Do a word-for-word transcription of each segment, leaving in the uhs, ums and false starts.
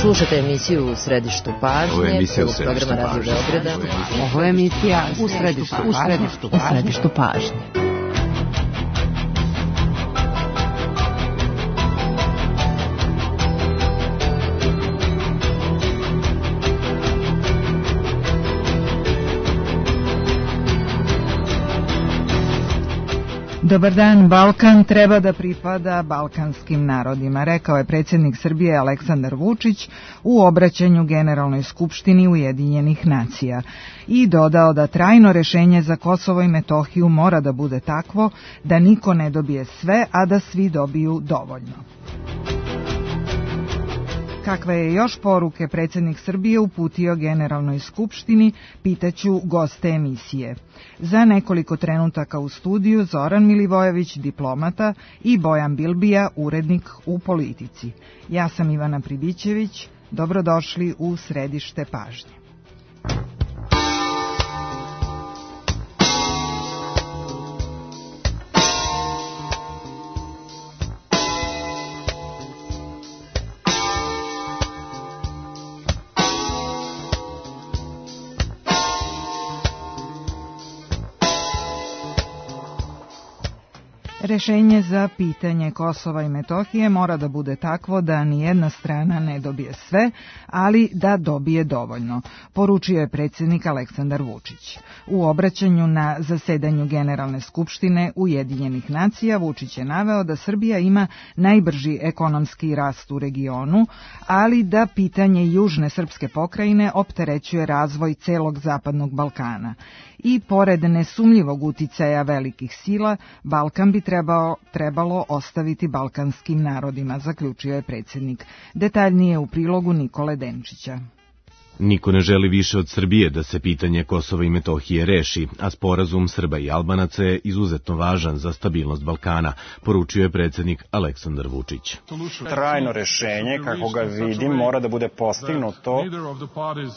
Slušate emisiju U središtu pažnje. Ovo je emisija U središtu pažnje. Ovo je emisija U središtu pažnje. U središtu pažnje. Dobar dan, Balkan treba da pripada balkanskim narodima, rekao je predsjednik Srbije Aleksandar Vučić u obraćanju Generalnoj skupštini Ujedinjenih nacija i dodao da trajno rešenje za Kosovo i Metohiju mora da bude takvo da niko ne dobije sve, a da svi dobiju dovoljno. Kakve je još poruke predsjednik Srbije uputio Generalnoj skupštini, pitaću goste emisije. Za nekoliko trenutaka u studiju Zoran Milivojević, diplomata, i Bojan Bilbija, urednik u Politici. Ja sam Ivana Pribićević, dobrodošli u središte pažnje. Rešenje za pitanje Kosova i Metohije mora da bude takvo da nijedna strana ne dobije sve, ali da dobije dovoljno, poručio je predsjednik Aleksandar Vučić. U obraćanju na zasedanju Generalne skupštine Ujedinjenih nacija Vučić je naveo da Srbija ima najbrži ekonomski rast u regionu, ali da pitanje južne srpske pokrajine opterećuje razvoj celog zapadnog Balkana. I pored nesumnjivog uticaja velikih sila, Balkan bi trebao, trebalo ostaviti balkanskim narodima, zaključio je predsjednik. Detaljnije u prilogu Nikole Denčića. Niko ne želi više od Srbije da se pitanje Kosova i Metohije reši, a sporazum Srba i Albanaca je izuzetno važan za stabilnost Balkana, poručio je predsjednik Aleksandar Vučić. Trajno rešenje, kako ga vidim, mora da bude postignuto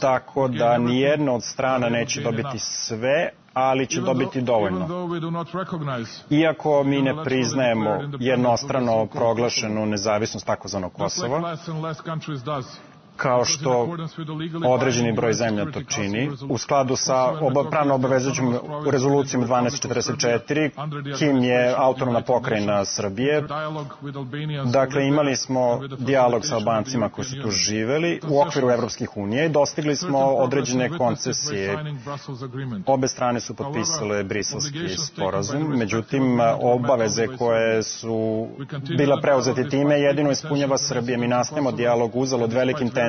tako da nijedna od strana neće dobiti sve, ali će dobiti dovoljno. Iako mi ne priznajemo jednostrano proglašenu nezavisnost takozvanog Kosova, kao što određeni broj zemlja to čini, u skladu sa oba, pravno obavezujućim rezolucijom dvanaest četrdeset četiri, Kim je autonomna pokrajina Srbije. Dakle, imali smo dijalog sa Albancima koji su tu živeli u okviru Evropskih unije i dostigli smo određene koncesije. Obe strane su potpisale Briselski sporazum, međutim, obaveze koje su bila preuzeti time jedino ispunjava Srbije. Mi nastavimo dijalog uzalud velikim tenzijama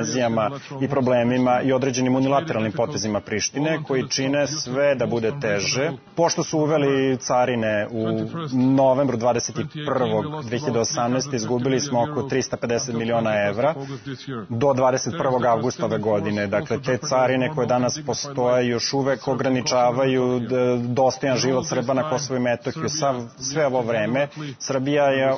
i problemima i određenim unilateralnim potezima Prištine koji čine sve da bude teže. Pošto su uveli carine u novembru dvadeset prvog dve hiljade osamnaeste. izgubili smo oko trista pedeset miliona evra do dvadeset prvog avgusta ove godine. Dakle, te carine koje danas postoje još uvek ograničavaju dostojan život Srba na Kosovu i Metohiju. Sve ovo vreme Srbija je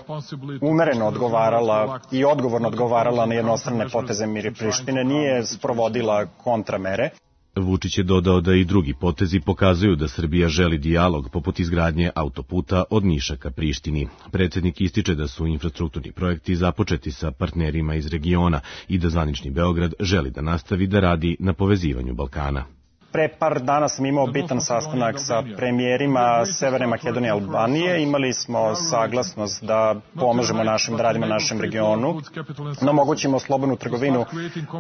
umereno odgovarala i odgovorno odgovarala na jednostrane poteze Mir Prištine, nije sprovodila kontramere. Vučić je dodao da i drugi potezi pokazuju da Srbija želi dijalog poput izgradnje autoputa od Niša ka Prištini. Predsjednik ističe da su infrastrukturni projekti započeti sa partnerima iz regiona i da zvanični Beograd želi da nastavi da radi na povezivanju Balkana. Pre par dana sam imao bitan sastanak sa premijerima Severne Makedonije i Albanije. Imali smo saglasnost da pomažemo našim, da radimo našem regionu, da omogućimo slobodnu trgovinu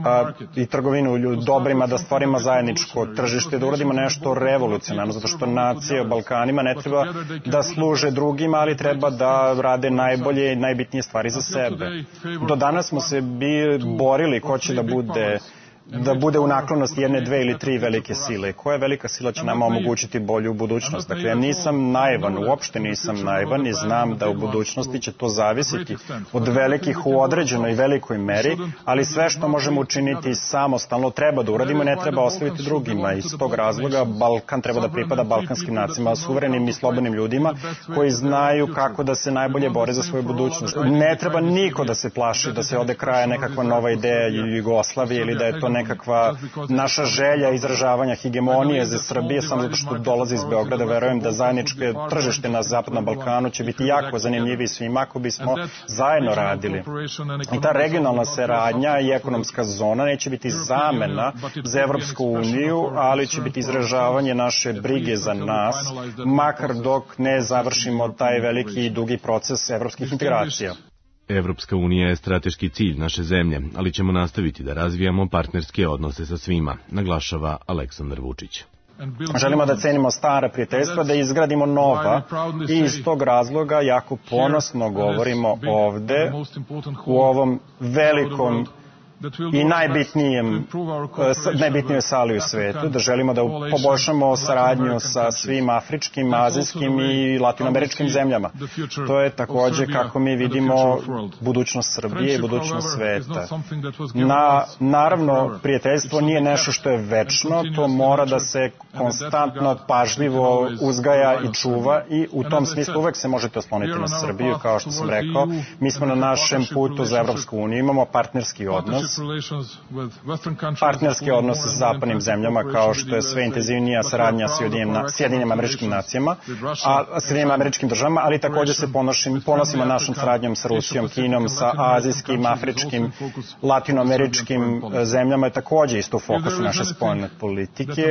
a, i trgovinu dobrima, da stvorimo zajedničko tržište, da uradimo nešto revolucionarno, zato što nacije u Balkanima ne treba da služe drugima, ali treba da rade najbolje i najbitnije stvari za sebe. Do danas smo se bi borili ko će da bude da bude u naklonosti jedne, dve ili tri velike sile. Koja velika sila će nama omogućiti bolju budućnost? Dakle, ja nisam naivan, uopšte nisam naivan i znam da u budućnosti će to zavisiti od velikih u određenoj velikoj meri, ali sve što možemo učiniti samostalno treba da uradimo i ne treba ostaviti drugima. Iz tog razloga Balkan treba da pripada balkanskim nacijama, suverenim i slobodnim ljudima koji znaju kako da se najbolje bore za svoju budućnost. Ne treba niko da se plaši da se ode kraja nekakva nova ideja Jugoslavije ili da je to nekakva naša želja izražavanja hegemonije za Srbije, samo zato što dolazi iz Beograda. Verujem da zajedničke tržište na Zapadnom Balkanu će biti jako zanimljiviji svima ako bismo zajedno radili. I ta regionalna saradnja i ekonomska zona neće biti zamena za Evropsku uniju, ali će biti izražavanje naše brige za nas, makar dok ne završimo taj veliki i dugi proces evropskih integracija. Evropska unija je strateški cilj naše zemlje, ali ćemo nastaviti da razvijamo partnerske odnose sa svima, naglašava Aleksandar Vučić. Želimo da cenimo stara prijateljstva, da izgradimo nova i iz tog razloga jako ponosno govorimo ovde u ovom velikom i najbitnijem, najbitnijoj sali u svetu, da želimo da poboljšamo saradnju sa svim afričkim, azijskim i latinoameričkim zemljama. To je takođe kako mi vidimo budućnost Srbije i budućnost sveta. Na, naravno, prijateljstvo nije nešto što je večno, to mora da se konstantno, pažljivo uzgaja i čuva i u tom smislu uvek se možete osloniti na Srbiju, kao što sam rekao. Mi smo na našem putu za Evropsku uniju, imamo partnerski odnos, partnerski odnos sa zapadnim zemljama, kao što je sve intenzivnija saradnja s Sjedinjenim Američkim nacijama, a Sjedinjenim Američkim državama, ali takođe se ponosimo našom saradnjom sa Rusijom, Kinom, sa azijskim, afričkim, latinoameričkim zemljama, je takođe isto u fokusu naše spoljne politike.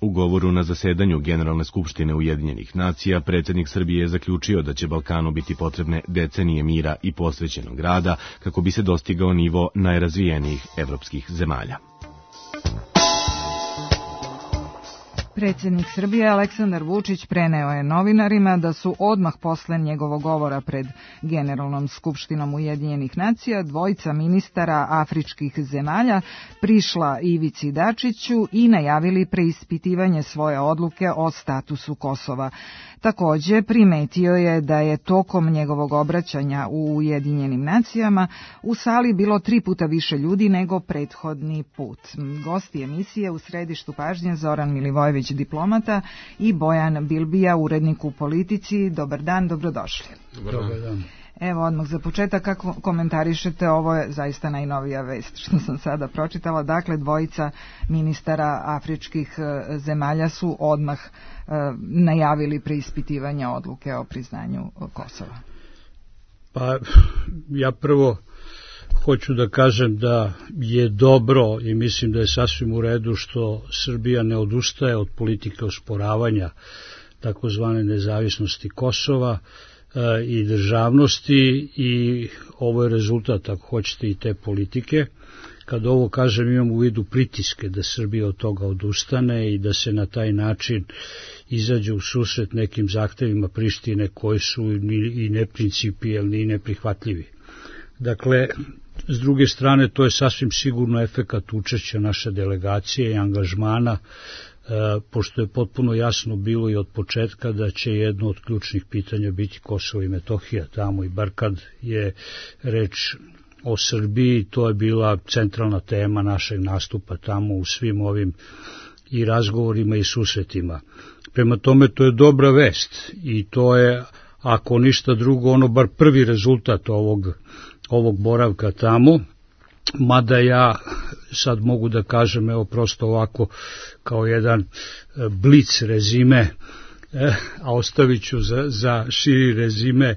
U govoru na zasedanju Generalne skupštine Ujedinjenih nacija, predsjednik Srbije je zaključio da će Balkanu biti potrebne decenije mira i posvećenog rada kako bi se dostigao nivo najrazvijenijih evropskih zemalja. Predsjednik Srbije Aleksandar Vučić preneo je novinarima da su odmah posle njegovog govora pred Generalnom skupštinom Ujedinjenih nacija dvojica ministara afričkih zemalja prišla Ivici Dačiću i najavili preispitivanje svoje odluke o statusu Kosova. Takođe, primetio je da je tokom njegovog obraćanja u Ujedinjenim nacijama u sali bilo tri puta više ljudi nego prethodni put. Gosti emisije u središtu pažnje Zoran Milivojević, diplomata, i Bojan Bilbija, urednik u Politici. Dobar dan, dobrodošli. Dobar dan. Evo, odmah za početak, kako komentarišete, ovo je zaista najnovija vest što sam sada pročitala. Dakle, dvojica ministara afričkih zemalja su odmah e, najavili preispitivanje odluke o priznanju Kosova. Pa, ja prvo hoću da kažem da je dobro i mislim da je sasvim u redu što Srbija ne odustaje od politike osporavanja takozvane nezavisnosti Kosova i državnosti, i ovo je rezultat, ako hoćete, i te politike. Kad ovo kažem, imam u vidu pritiske da Srbija od toga odustane i da se na taj način izađe u susret nekim zahtevima Prištine koji su i neprincipijelni i neprihvatljivi. Dakle, s druge strane, to je sasvim sigurno efekat učešća naše delegacije i angažmana, pošto je potpuno jasno bilo i od početka da će jedno od ključnih pitanja biti Kosovo i Metohija tamo, i bar kad je reč o Srbiji, to je bila centralna tema našeg nastupa tamo u svim ovim i razgovorima i susretima. Prema tome, to je dobra vest i to je, ako ništa drugo, ono bar prvi rezultat ovog, ovog boravka tamo. Mada ja sad mogu da kažem, evo prosto ovako kao jedan blic rezime, a ostavit ću za, za širi rezime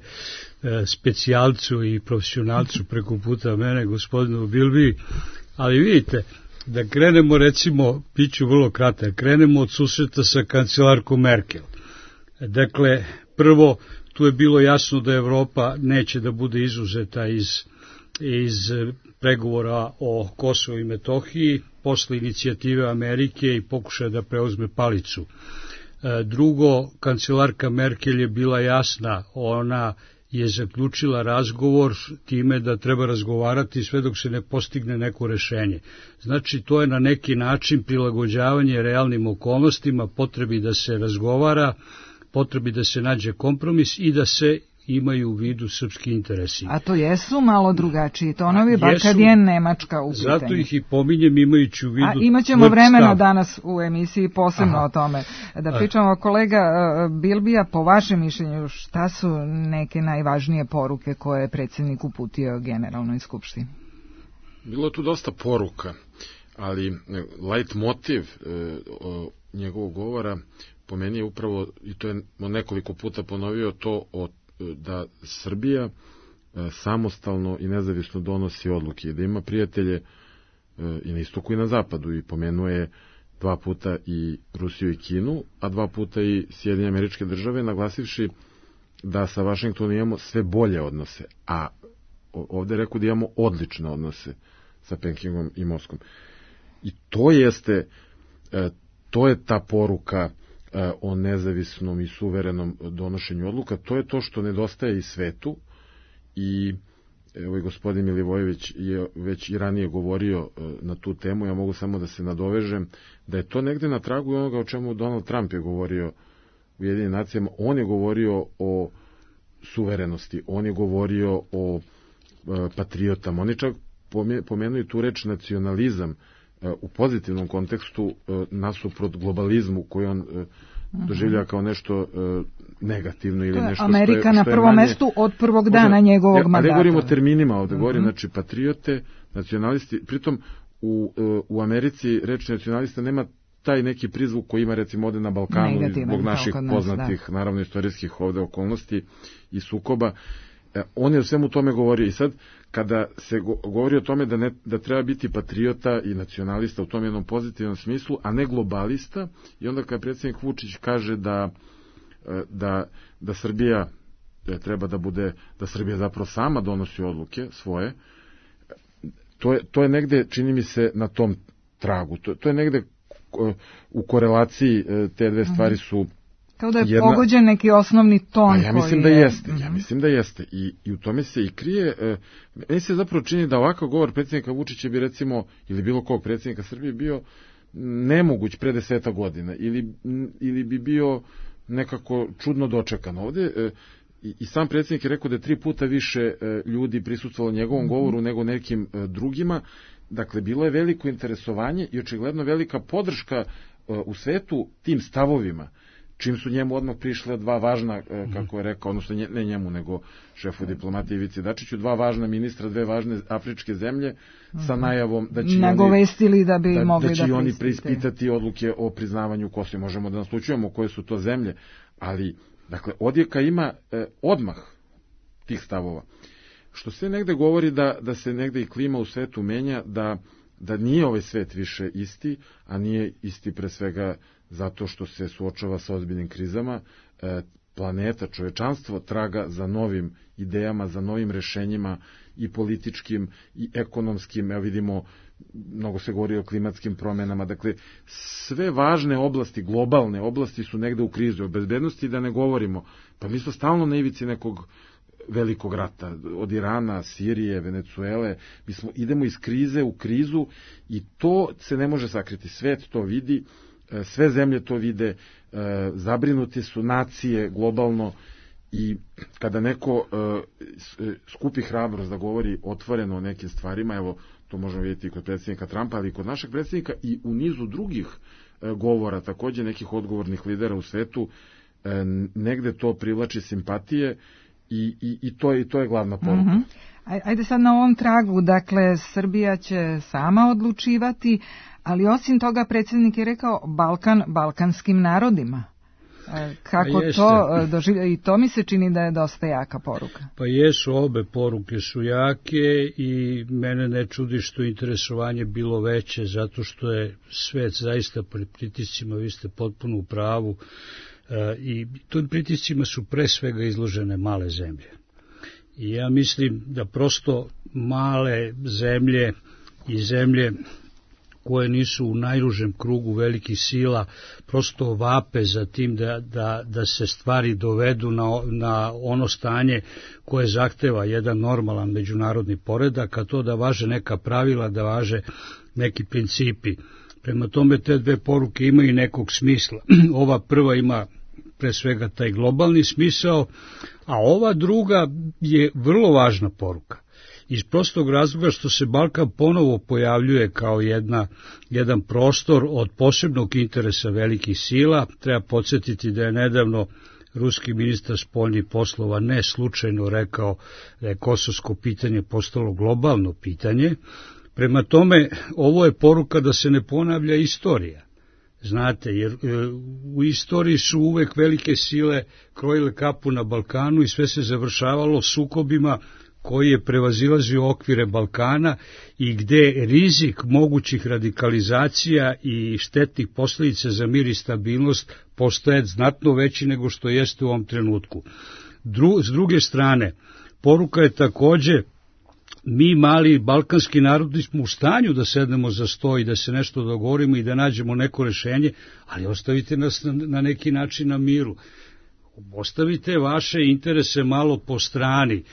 specijalcu i profesionalcu preko puta mene, gospodinu Bilbi, ali vidite, da krenemo, recimo, bit ću vrlo kratak, krenemo od susreta sa kancelarkom Merkel. Dakle, prvo, tu je bilo jasno da Evropa neće da bude izuzeta iz iz pregovora o Kosovu i Metohiji, posle inicijative Amerike i pokušaja da preuzme palicu. Drugo, kancelarka Merkel je bila jasna, ona je zaključila razgovor time da treba razgovarati sve dok se ne postigne neko rešenje. Znači, to je na neki način prilagođavanje realnim okolnostima, potrebi da se razgovara, potrebi da se nađe kompromis i da se imaju u vidu srpski interesi. A to jesu malo drugačiji tonovi, bar kad je Nemačka u pitanju. Zato ih i pominjem imajući u vidu... A imaćemo vremena danas u emisiji posebno Aha. o tome. Da pričamo, kolega Bilbija, po vašem mišljenju, šta su neke najvažnije poruke koje je predsjednik uputio Generalnoj skupštini? Bilo tu dosta poruka, ali light motiv njegovog govora po meni je upravo, i to je nekoliko puta ponovio, to o, da Srbija samostalno i nezavisno donosi odluke i da ima prijatelje i na istoku i na zapadu, i pomenuje dva puta i Rusiju i Kinu, a dva puta i Sjedinjene Američke Države, naglasivši da sa Vašingtonom imamo sve bolje odnose, a ovde je rekao da imamo odlične odnose sa Pekingom i Moskvom. I to jeste, to je ta poruka o nezavisnom i suverenom donošenju odluka, to je to što nedostaje i svetu, i ovaj gospodin Milivojević je već i ranije govorio na tu temu, ja mogu samo da se nadovežem, da je to negde na tragu onoga o čemu Donald Trump je govorio u Ujedinjenim nacijama. On je govorio o suverenosti, on je govorio o patriotama, oni čak pomenuju tu reč nacionalizam u pozitivnom kontekstu nasuprot globalizmu koji on doživlja kao nešto negativno ili nešto što je, Amerika što je, na što je prvom manje, mestu od prvog dana njegovog ja, mandata. Ne govorimo o terminima ovde, govorim, uh-huh. znači patriote, nacionalisti, pritom u, u Americi reč nacionalista nema taj neki prizvuk koji ima recimo ovde na Balkanu negativan, zbog naših nas, poznatih, da. naravno istorijskih ovde okolnosti i sukoba. E, on je o svemu tome govorio, i sad kada se go, govori o tome da, ne, da treba biti patriota i nacionalista u tom jednom pozitivnom smislu, a ne globalista, i onda kada predsjednik Vučić kaže da da, da Srbija treba da bude, da Srbija zapravo sama donosi odluke svoje, to je, to je negde, čini mi se, na tom tragu. To, to je negde u korelaciji, te dve stvari su kao da je jedna... pogođen neki osnovni ton. A ja mislim koji da je... jeste, ja mislim da jeste. I, i u tome se i krije, e, meni se zapravo čini da ovakav govor predsjednika Vučića bi recimo, ili bilo kog predsjednika Srbije bio nemoguć pre deseta godina, ili, ili bi bio nekako čudno dočekan ovde. E, i, i sam predsjednik je rekao da je tri puta više e, ljudi prisustvovalo njegovom mm-hmm. govoru nego nekim e, drugima. Dakle, bilo je veliko interesovanje i očigledno velika podrška e, u svetu tim stavovima, čim su njemu odmah prišle dva važna, kako je rekao, odnosno ne njemu, nego šefu diplomatije Ivici Dačiću, dva važna ministra, dve važne afričke zemlje, sa najavom da će nagovestili da bi da, mogli da će da oni preispitati odluke o priznavanju Kosova. Možemo da naslučujemo koje su to zemlje, ali, dakle, odjeka ima eh, odmah tih stavova. Što se negde govori da, da se negde i klima u svetu menja, da, da nije ovaj svet više isti, a nije isti pre svega zato što se suočava sa ozbiljnim krizama. E, planeta, čovečanstvo traga za novim idejama, za novim rešenjima i političkim i ekonomskim. Evo vidimo, mnogo se govori o klimatskim promenama. Dakle, sve važne oblasti, globalne oblasti su negde u krizi. O bezbednosti da ne govorimo. Pa mi smo stalno na ivici nekog velikog rata, od Irana, Sirije, Venecuele. Mi smo, idemo iz krize u krizu i to se ne može sakriti. Svet to vidi, sve zemlje to vide, zabrinuti su nacije globalno, i kada neko skupi hrabrost da govori otvoreno o nekim stvarima, evo to možemo vidjeti i kod predsjednika Trumpa, ali i kod našeg predsjednika i u nizu drugih govora, takođe nekih odgovornih lidera u svetu, negde to privlači simpatije i, i, i, to, je, i to je glavna poruka. Mm-hmm. Ajde sad na ovom tragu, dakle, Srbija će sama odlučivati, ali osim toga predsjednik je rekao Balkan balkanskim narodima. Kako to doživlja, i to mi se čini da je dosta jaka poruka. Pa jesu, obe poruke su jake i mene ne čudi što interesovanje bilo veće, zato što je svet zaista pri pritiscima, vi ste potpuno u pravu, i tim pritiscima su pre svega izložene male zemlje. I ja mislim da prosto male zemlje i zemlje koje nisu u najužem krugu velikih sila prosto vape za tim da, da, da se stvari dovedu na, na ono stanje koje zahteva jedan normalan međunarodni poredak, a to da važe neka pravila, da važe neki principi. Prema tome te dve poruke imaju nekog smisla. Ova prva ima pre svega taj globalni smisao, a ova druga je vrlo važna poruka. Iz prostog razloga što se Balkan ponovo pojavljuje kao jedna, jedan prostor od posebnog interesa velikih sila. Treba podsjetiti da je nedavno ruski ministar spoljnih poslova ne slučajno rekao da je kosovsko pitanje postalo globalno pitanje. Prema tome, ovo je poruka da se ne ponavlja istorija. Znate, jer e, u istoriji su uvek velike sile krojile kapu na Balkanu i sve se završavalo sukobima koji je prevazilazio okvire Balkana i gde rizik mogućih radikalizacija i štetnih posljedica za mir i stabilnost postaje znatno veći nego što jeste u ovom trenutku. Dru, s druge strane, poruka je takođe, mi mali balkanski narodi smo u stanju da sednemo za sto i da se nešto dogovorimo i da nađemo neko rešenje, ali ostavite nas na, na neki način na miru. Ostavite vaše interese malo po strani.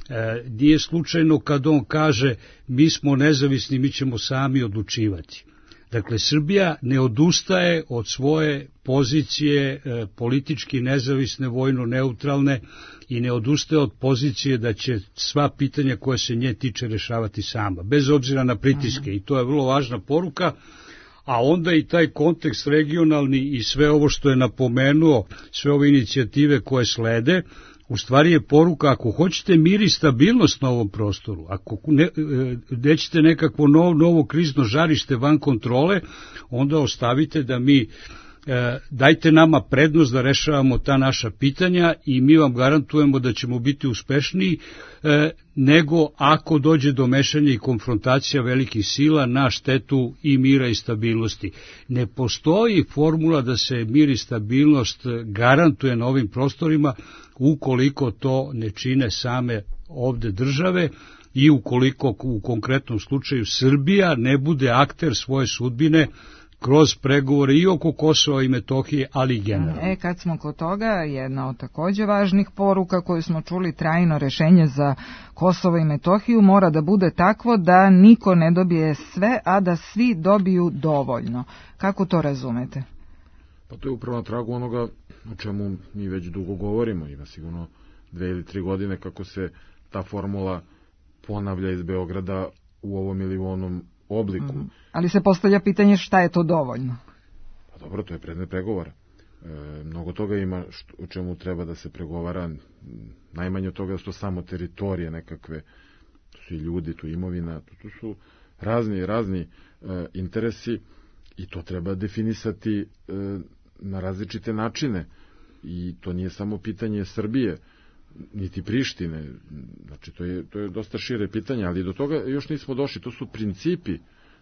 E, nije slučajno kad on kaže mi smo nezavisni, mi ćemo sami odlučivati. Dakle, Srbija ne odustaje od svoje pozicije e, politički nezavisne, vojno neutralne i ne odustaje od pozicije da će sva pitanja koja se nje tiče rešavati sama, bez obzira na pritiske. Aha. I to je vrlo važna poruka. A onda i taj kontekst regionalni i sve ovo što je napomenuo, sve ove inicijative koje slede, u stvari je poruka, ako hoćete mir i stabilnost na ovom prostoru, ako ne, nećete nekakvo novo, novo krizno žarište van kontrole, onda ostavite da mi, e, dajte nama prednost da rešavamo ta naša pitanja i mi vam garantujemo da ćemo biti uspešniji e, nego ako dođe do mešanja i konfrontacija velikih sila na štetu i mira i stabilnosti. Ne postoji formula da se mir i stabilnost garantuje na ovim prostorima ukoliko to ne čine same ovde države i ukoliko u konkretnom slučaju Srbija ne bude akter svoje sudbine kroz pregovore i oko Kosova i Metohije, ali i generalno. E, kad smo kod toga, jedna od takođe važnih poruka koju smo čuli, trajno rešenje za Kosovo i Metohiju mora da bude takvo da niko ne dobije sve, a da svi dobiju dovoljno. Kako to razumete? Pa to je upravo na tragu onoga o čemu mi već dugo govorimo, ima sigurno dve ili tri godine kako se ta formula ponavlja iz Beograda u ovom ili u onom obliku. Mm, ali se postavlja pitanje šta je to dovoljno? Pa dobro, to je predmet pregovora. E, mnogo toga ima što, o čemu treba da se pregovara, najmanje od toga su to samo teritorije nekakve, to su i ljudi, tu imovina, tu, tu su razni, razni e, interesi i to treba definisati e, na različite načine i to nije samo pitanje Srbije niti Prištine, znači to je, to je dosta šire pitanje, ali do toga još nismo došli, to su principi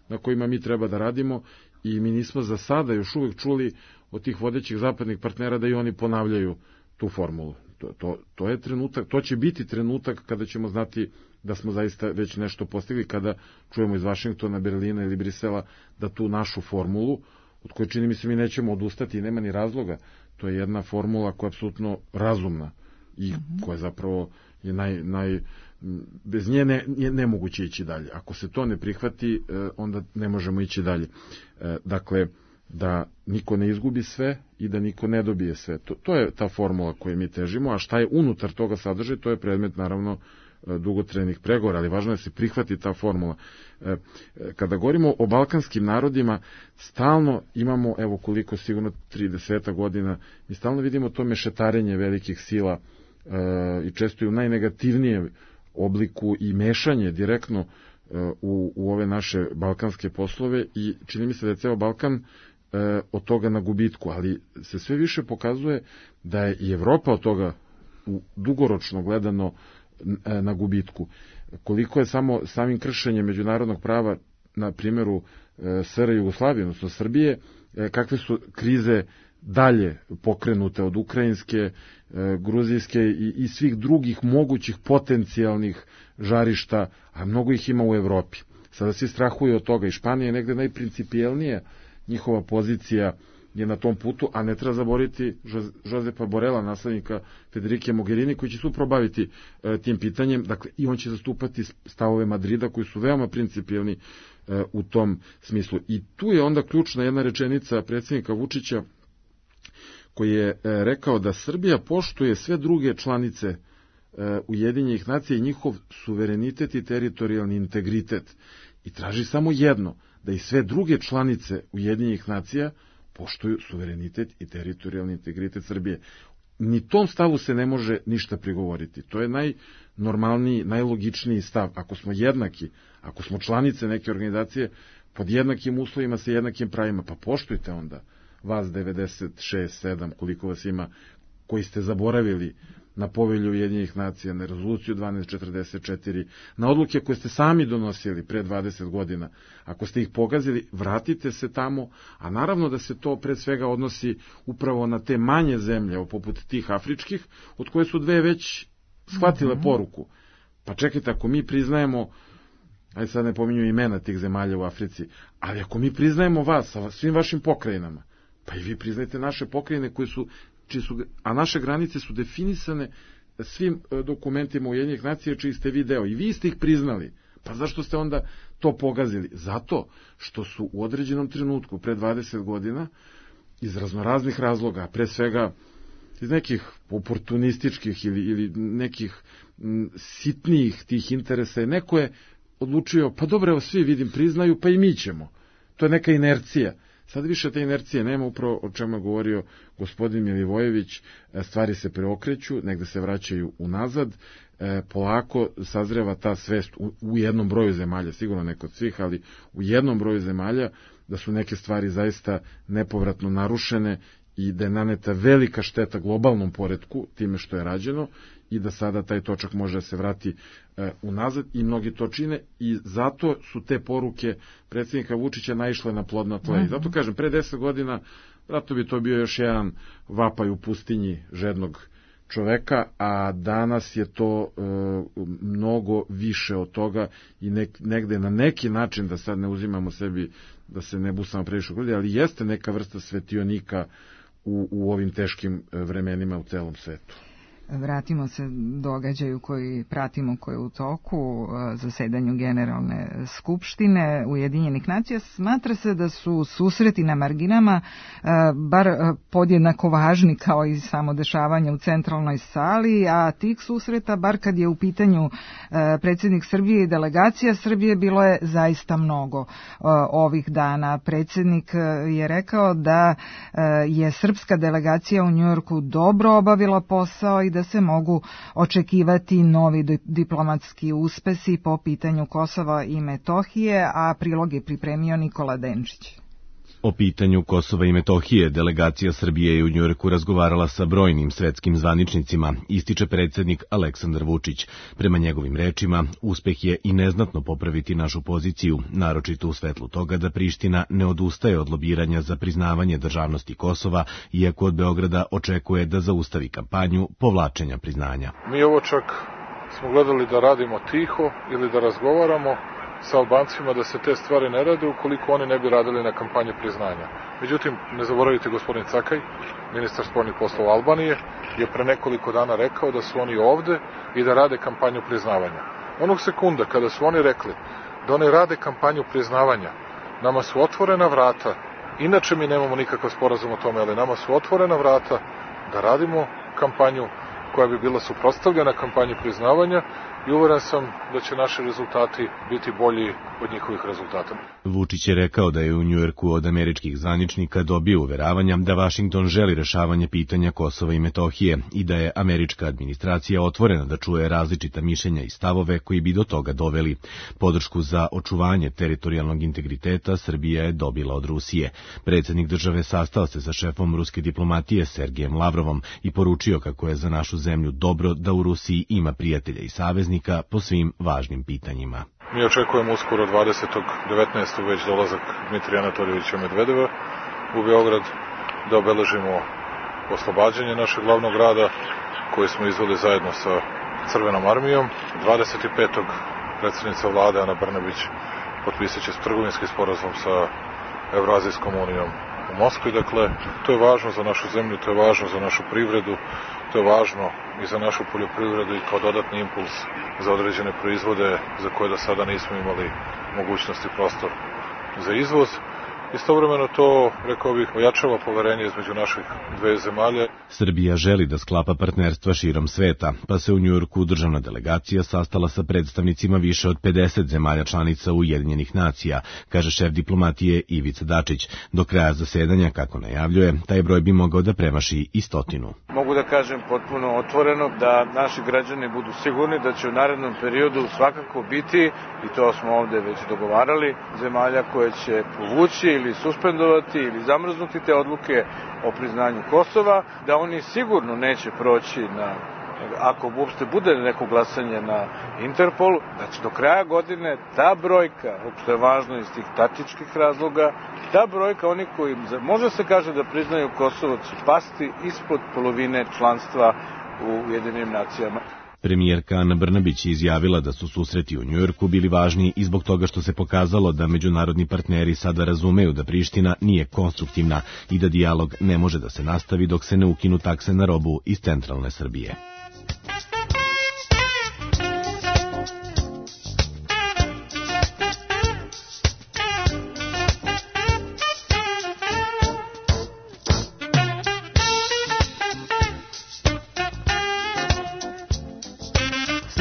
na kojima mi treba da radimo i mi nismo za sada još uvek čuli od tih vodećih zapadnih partnera da i oni ponavljaju tu formulu. To, to, to je trenutak, to će biti trenutak kada ćemo znati da smo zaista već nešto postigli, kada čujemo iz Vašingtona, Berlina ili Brisela da tu našu formulu, od koje čini mi se mi nećemo odustati i nema ni razloga, to je jedna formula koja je apsolutno razumna i koja zapravo je naj, naj bez nje ne, je nemoguće ići dalje. Ako se to ne prihvati, onda ne možemo ići dalje. Dakle, da niko ne izgubi sve i da niko ne dobije sve. To, to je ta formula koju mi težimo, a šta je unutar toga sadržaj, to je predmet naravno dugotrajnih pregovora, ali važno je da se prihvati ta formula. Kada govorimo o balkanskim narodima, stalno imamo, evo koliko sigurno trideset godina, mi stalno vidimo to mešetarenje velikih sila i često i u najnegativnijem obliku i mešanje direktno u, u ove naše balkanske poslove i čini mi se da je ceo Balkan od toga na gubitku, ali se sve više pokazuje da je i Evropa od toga u dugoročno gledano na gubitku. Koliko je samo samim kršenjem međunarodnog prava na primjeru S R Jugoslavije, odnosno Srbije, kakve su krize dalje pokrenute od ukrajinske, gruzijske i, i svih drugih mogućih potencijalnih žarišta, a mnogo ih ima u Evropi. Sada svi strahuju od toga i Španija je negde najprincipijelnija njihova pozicija je na tom putu, a ne treba zaboraviti Josepa Borela, naslednika Federike Mogherini, koji će se upravo baviti e, tim pitanjem, dakle i on će zastupati stavove Madrida koji su veoma principijelni e, u tom smislu. I tu je onda ključna jedna rečenica predsjednika Vučića koji je e, rekao da Srbija poštuje sve druge članice e, Ujedinjenih nacija i njihov suverenitet i teritorijalni integritet i traži samo jedno, da i sve druge članice Ujedinjenih nacija poštuju suverenitet i teritorijalni integritet Srbije. ni tom stavu se ne može ništa prigovoriti. To je najnormalniji, najlogičniji stav. Ako smo jednaki, ako smo članice neke organizacije, pod jednakim uslovima sa jednakim pravima, pa poštujte onda vas devedeset šest, sedam, koliko vas ima, koji ste zaboravili na Povelju Ujedinjenih nacija, na rezoluciju dvanaest četrdeset četiri, na odluke koje ste sami donosili pre dvadeset godina. Ako ste ih pogazili, vratite se tamo, a naravno da se to pre svega odnosi upravo na te manje zemlje, poput tih afričkih, od koje su dve već shvatile mm-hmm. poruku. Pa čekajte, ako mi priznajemo, ajde sad ne pominju imena tih zemalja u Africi, ali ako mi priznajemo vas sa svim vašim pokrajinama, pa i vi priznajte naše pokrajine koje su, su, a naše granice su definisane svim dokumentima Ujedinjenih nacija čiji ste vi deo i vi ste ih priznali. Pa zašto ste onda to pogazili? Zato što su u određenom trenutku pre dvadeset godina iz raznoraznih razloga, pre svega iz nekih oportunističkih ili, ili nekih m, sitnijih tih interesa, neko je odlučio, pa dobro, evo svi vidim priznaju, pa i mi ćemo. To je neka inercija. Sad više te inercije nema, upravo o čemu je govorio gospodin Milivojević, stvari se preokreću, negde se vraćaju unazad, polako sazreva ta svest u, u jednom broju zemalja, sigurno ne kod svih, ali u jednom broju zemalja, da su neke stvari zaista nepovratno narušene i da je naneta velika šteta globalnom poretku time što je rađeno i da sada taj točak može da se vrati e, unazad i mnogi to čine i zato su te poruke predsjednika Vučića naišle na plodno tlo. Mm-hmm. I zato kažem, pre deset godina zato bi to bio još jedan vapaj u pustinji žednog čoveka, a danas je to e, mnogo više od toga i nek, negde na neki način, da sad ne uzimamo sebi, da se ne busamo previše u grudi, ali jeste neka vrsta svetionika u, u ovim teškim vremenima u celom svetu. Vratimo se događaju koji pratimo, koji je u toku, zasedanju Generalne skupštine Ujedinjenih nacija. Smatra se da su susreti na marginama bar podjednako važni kao i samo dešavanje u centralnoj sali, a tih susreta, bar kad je u pitanju predsjednik Srbije i delegacija Srbije, bilo je zaista mnogo ovih dana. Predsjednik je rekao da je srpska delegacija u Njujorku dobro obavila posao i da se mogu očekivati novi diplomatski uspesi po pitanju Kosova i Metohije, a prilog je pripremio Nikola Denčić. O pitanju Kosova i Metohije delegacija Srbije je u Njujorku razgovarala sa brojnim svetskim zvaničnicima, ističe predsjednik Aleksandar Vučić. Prema njegovim rečima, uspeh je i neznatno popraviti našu poziciju, naročito u svetlu toga da Priština ne odustaje od lobiranja za priznavanje državnosti Kosova, iako od Beograda očekuje da zaustavi kampanju povlačenja priznanja. Mi ovo čak smo gledali da radimo tiho ili da razgovaramo sa Albancima da se te stvari ne rade ukoliko oni ne bi radili na kampanji priznanja. Međutim, ne zaboravite, gospodin Cakaj, ministar spoljnih poslova Albanije, je pre nekoliko dana rekao da su oni ovde i da rade kampanju priznavanja. Onog sekunda kada su oni rekli da oni rade kampanju priznavanja, nama su otvorena vrata, inače mi nemamo nikakav sporazum o tome, ali nama su otvorena vrata da radimo kampanju koja bi bila suprotstavljena kampanji priznavanja i uveren sam da će naši rezultati biti bolji od njihovih rezultata. Vučić je rekao da je u Njujorku od američkih zvaničnika dobio uveravanja da Vašington želi rešavanje pitanja Kosova i Metohije i da je američka administracija otvorena da čuje različita mišljenja i stavove koji bi do toga doveli. Podršku za očuvanje teritorijalnog integriteta Srbija je dobila od Rusije. Predsjednik države sastao se sa šefom ruske diplomatije Sergejem Lavrovom i poručio kako je za našu zemlju dobro da u Rusiji ima prijatelja i saveznika po svim važnim pitanjima. Mi očekujemo uskoro dvadesetog devetnaestog već dolazak Dmitrija Anatoljevića Medvedeva u Beograd da obeležimo oslobađanje našeg glavnog grada koji smo izveli zajedno sa Crvenom armijom. dvadeset petog predsjednica vlade Ana Brnabić potpisat će trgovinski sporazum sa Evrazijskom unijom u Moskvi. Dakle, to je važno za našu zemlju, to je važno za našu privredu, to je važno i za našu poljoprivredu i kao dodatni impuls za određene proizvode za koje do sada nismo imali mogućnosti prostor za izvoz. Istovremeno to, rekao bih, ojačava poverenje između naših dve zemalje. Srbija želi da sklapa partnerstva širom sveta, pa se u Njujorku državna delegacija sastala sa predstavnicima više od pedeset zemalja članica Ujedinjenih nacija, kaže šef diplomatije Ivica Dačić. Do kraja zasedanja, kako najavljuje, taj broj bi mogao da premaši i stotinu. Mogu da kažem potpuno otvoreno da naši građani budu sigurni da će u narednom periodu svakako biti, i to smo ovde već dogovarali, zemalja koje će povući ili suspendovati ili zamrznuti te odluke o priznanju Kosova, da oni sigurno neće proći na, ako uopšte bude neko glasanje na Interpol, da će do kraja godine ta brojka, što je važno iz tih taktičkih razloga, ta brojka, oni koji može se kaže da priznaju Kosovo, će pasti ispod polovine članstva u Ujedinjenim nacijama. Premijerka Ana Brnabić je izjavila da su susreti u Njujorku bili važni i zbog toga što se pokazalo da međunarodni partneri sada razumeju da Priština nije konstruktivna i da dijalog ne može da se nastavi dok se ne ukinu takse na robu iz centralne Srbije.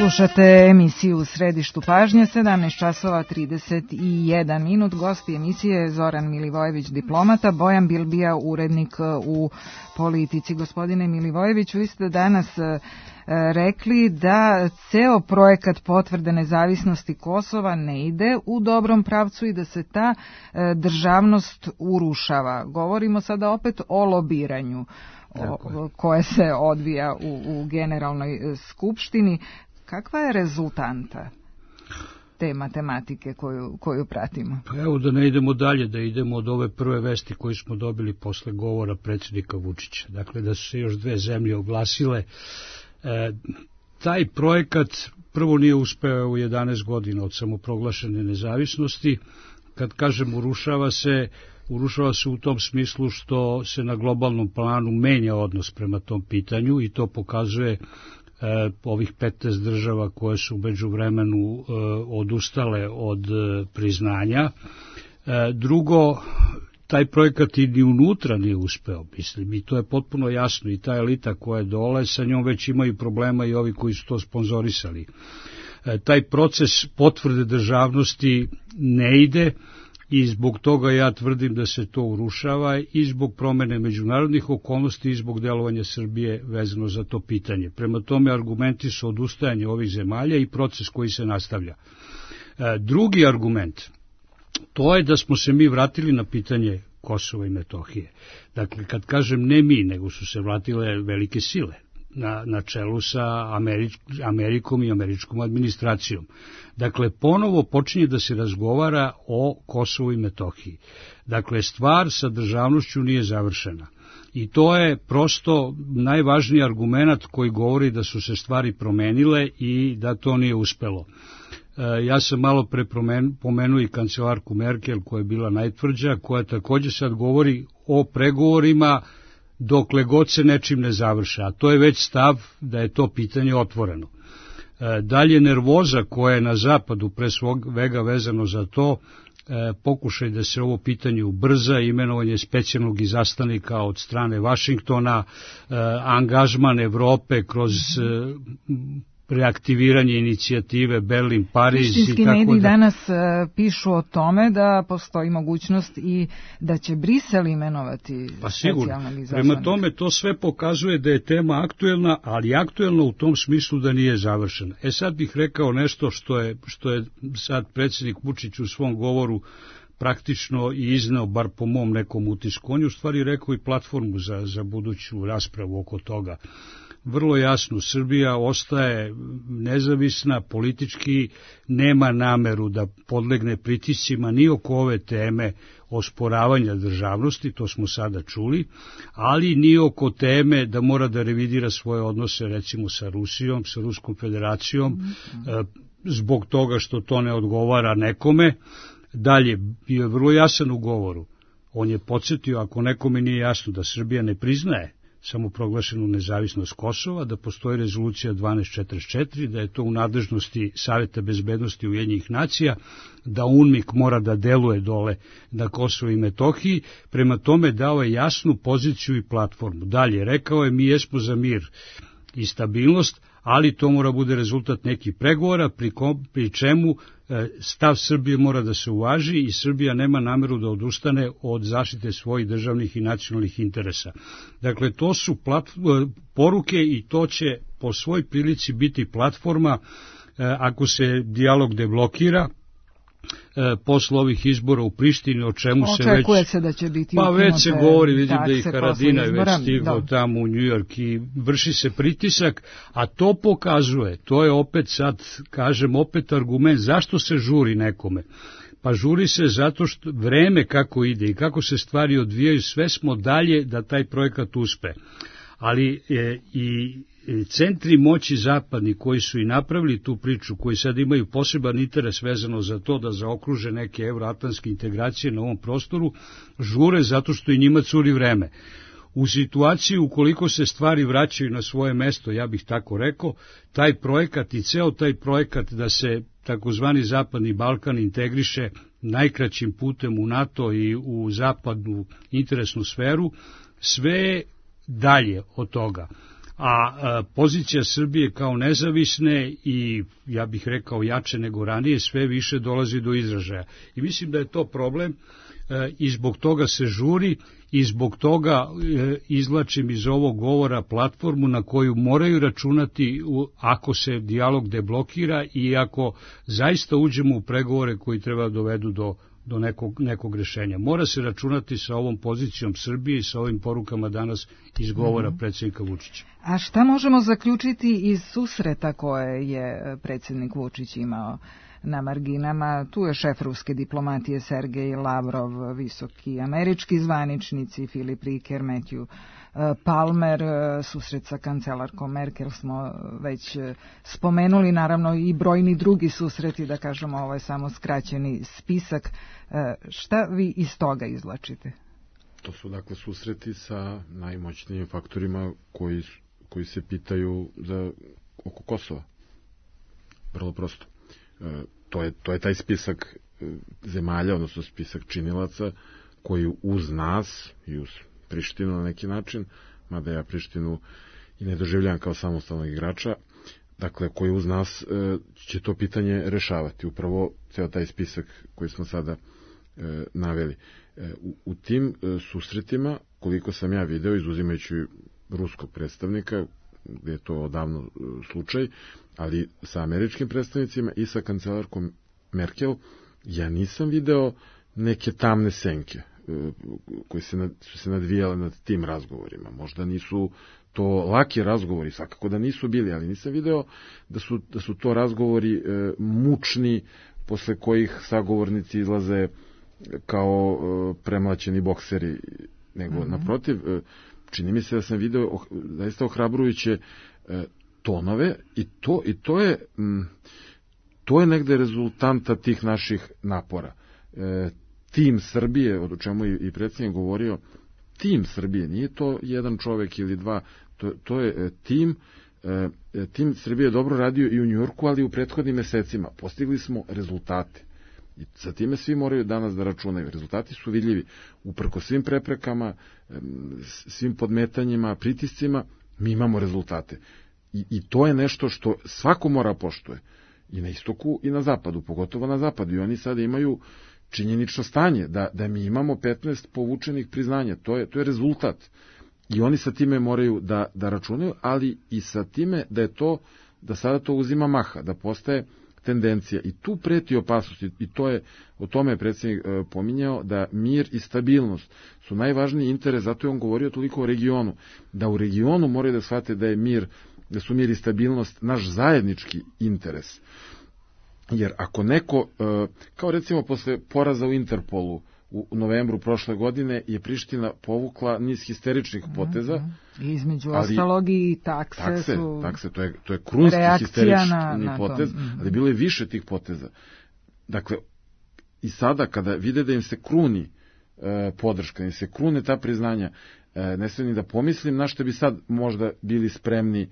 Slušate emisiju U središtu pažnje, sedamnaest časova trideset jedan minut. Gosti emisije je Zoran Milivojević, diplomata, Bojan Bilbija, urednik u Politici. Gospodine Milivojeviću, vi ste danas rekli da ceo projekat potvrde nezavisnosti Kosova ne ide u dobrom pravcu i da se ta državnost urušava. Govorimo sada opet o lobiranju o, koje se odvija u, u Generalnoj skupštini. Kakva je rezultanta te matematike koju, koju pratimo? Pa evo da ne idemo dalje, da idemo od ove prve vesti koju smo dobili posle govora predsjednika Vučića. Dakle, da su se još dve zemlje oglasile. E, taj projekat prvo nije uspeo u jedanaest godina od samoproglašene nezavisnosti. Kad kažem urušava se, urušava se u tom smislu što se na globalnom planu menja odnos prema tom pitanju i to pokazuje ovih petnaest država koje su u međuvremenu odustale od priznanja. Drugo, taj projekat i ni unutra nije uspeo, mislim, i to je potpuno jasno, i ta elita koja je dole, sa njom već imaju problema i ovi koji su to sponzorisali. Taj proces potvrde državnosti ne ide i zbog toga ja tvrdim da se to urušava i zbog promene međunarodnih okolnosti i zbog delovanja Srbije vezano za to pitanje. Prema tome, argumenti su odustajanje ovih zemalja i proces koji se nastavlja. Drugi argument, to je da smo se mi vratili na pitanje Kosova i Metohije. Dakle, kad kažem ne mi, nego su se vratile velike sile na, na čelu sa Američ, Amerikom i američkom administracijom. Dakle, ponovo počinje da se razgovara o Kosovu i Metohiji. Dakle, stvar sa državnošću nije završena. I to je prosto najvažniji argument koji govori da su se stvari promenile i da to nije uspelo. E, ja sam malo pre pomenuo i kancelarku Merkel koja je bila najtvrđa, koja također sad govori o pregovorima dokle god se nečim ne završa, a to je već stav da je to pitanje otvoreno. E, dalje nervoza koja je na zapadu pre svega vezano za to, e, pokušaj da se ovo pitanje ubrza, imenovanje specijalnog izaslanika od strane Vašingtona, e, angažman Evrope kroz e, reaktiviranje inicijative Berlin, Pariz i tako da. Prištinski mediji danas uh, pišu o tome da postoji mogućnost i da će Brisel imenovati pa specijalnog izaslanika. Prema tome to sve pokazuje da je tema aktuelna, ali aktuelna u tom smislu da nije završena. E sad bih rekao nešto što je, što je sad predsjednik Vučić u svom govoru praktično i izneo, bar po mom nekom utisku. On je u stvari rekao i platformu za, za buduću raspravu oko toga. Vrlo jasno, Srbija ostaje nezavisna, politički nema nameru da podlegne pritiscima ni oko ove teme osporavanja državnosti, to smo sada čuli, ali ni oko teme da mora da revidira svoje odnose recimo sa Rusijom, sa Ruskom federacijom, mm-hmm. zbog toga što to ne odgovara nekome. Dalje, bio je vrlo jasan u govoru. On je podsjetio, ako nekome nije jasno da Srbija ne priznaje samoproglašenu nezavisnost Kosova, da postoji rezolucija dvanaest četrdeset četiri, da je to u nadležnosti Saveta bezbednosti Ujedinjenih nacija, da UNMIK mora da deluje dole na Kosovu i Metohiji, prema tome dao je jasnu poziciju i platformu. Dalje, rekao je mi jesmo za mir i stabilnost, ali to mora bude rezultat nekih pregovora, pri, kom, pri čemu e, stav Srbije mora da se uvaži i Srbija nema nameru da odustane od zaštite svojih državnih i nacionalnih interesa. Dakle, to su plat, poruke i to će po svoj prilici biti platforma e, ako se dijalog deblokira, E, posle ovih izbora u Prištini, o čemu se već... Očekuje se da će biti... Pa već se govori, vidim da i Haradina je već stigao tamo u Njujork i vrši se pritisak, a to pokazuje, to je opet sad, kažem, opet argument, zašto se žuri nekome? Pa žuri se zato što vreme kako ide i kako se stvari odvijaju, sve smo dalje da taj projekat uspe. Ali e, i centri moći zapadni koji su i napravili tu priču, koji sad imaju poseban interes vezano za to da zaokruže neke euroatlantske integracije na ovom prostoru, žure zato što i njima curi vreme. U situaciji ukoliko se stvari vraćaju na svoje mesto, ja bih tako rekao, taj projekat i ceo taj projekat da se takozvani Zapadni Balkan integriše najkraćim putem u NATO i u zapadnu interesnu sferu, sve dalje od toga. A, a pozicija Srbije kao nezavisne i, ja bih rekao, jače nego ranije, sve više dolazi do izražaja. I mislim da je to problem e, i zbog toga se žuri i zbog toga e, izvlačim iz ovog govora platformu na koju moraju računati u, ako se dijalog deblokira i ako zaista uđemo u pregovore koji treba dovedu do do nekog, nekog rešenja. Mora se računati sa ovom pozicijom Srbije i sa ovim porukama danas iz govora predsjednika Vučića. A šta možemo zaključiti iz susreta koje je predsjednik Vučić imao na marginama? Tu je šef ruske diplomatije Sergej Lavrov, visoki američki zvaničnici, Filip Riker, Matthew Palmer, susret sa kancelarkom Merkel smo već spomenuli, naravno i brojni drugi susreti, da kažemo, ovo je samo skraćeni spisak. Šta vi iz toga izvlačite? To su dakle susreti sa najmoćnijim faktorima koji, koji se pitaju za, oko Kosova. Vrlo prosto. E, to, je, to je taj spisak zemalja, odnosno spisak činilaca koji uz nas i uz Prištinu na neki način, mada ja Prištinu i ne doživljam kao samostalnog igrača, dakle, koji uz nas e, će to pitanje rešavati. Upravo ceo taj spisak koji smo sada e, naveli. E, u, u tim e, susretima, koliko sam ja video, izuzimajući ruskog predstavnika, gde je to odavno e, slučaj, ali sa američkim predstavnicima i sa kancelarkom Merkel, ja nisam video neke tamne senke koji se nad, su se nadvijale nad tim razgovorima. Možda nisu to laki razgovori, svakako da nisu bili, ali nisam video da su, da su to razgovori e, mučni, posle kojih sagovornici izlaze kao e, premlaćeni bokseri, nego mm-hmm. naprotiv, e, čini mi se da sam video oh, zaista ohrabrujuće e, tonove i to, i to je m, to je negde rezultanta tih naših napora. E, tim Srbije, o čemu i predsjednik govorio, tim Srbije, nije to jedan čovek ili dva, to, to je tim, tim Srbije je dobro radio i u Njujorku, ali i u prethodnim mesecima. Postigli smo rezultate. I sa time svi moraju danas da računaju. Rezultati su vidljivi. Uprko svim preprekama, svim podmetanjima, pritiscima, mi imamo rezultate. I, i to je nešto što svako mora poštuje. I na istoku i na zapadu, pogotovo na zapadu. I oni sada imaju činjenično stanje, da, da mi imamo petnaest povučenih priznanja, to je, to je rezultat. I oni sa time moraju da, da računaju, ali i sa time da je to, da sada to uzima maha, da postaje tendencija. I tu preti opasnost, i to je, o tome je predsjednik e, pominjao, da mir i stabilnost su najvažniji interes, zato je on govorio toliko o regionu, da u regionu moraju da shvate da je mir, da su mir i stabilnost naš zajednički interes. Jer ako neko, kao recimo posle poraza u Interpolu u novembru prošle godine, je Priština povukla niz histeričnih poteza. Mm-hmm. Između ostalog i takse, takse su... Takse, to je, to je krunski histerični na, na potez, mm-hmm. ali bilo je više tih poteza. Dakle, i sada kada vide da im se kruni e, podrška, ni se krune ta priznanja, e, ne sve ni da pomislim na što bi sad možda bili spremni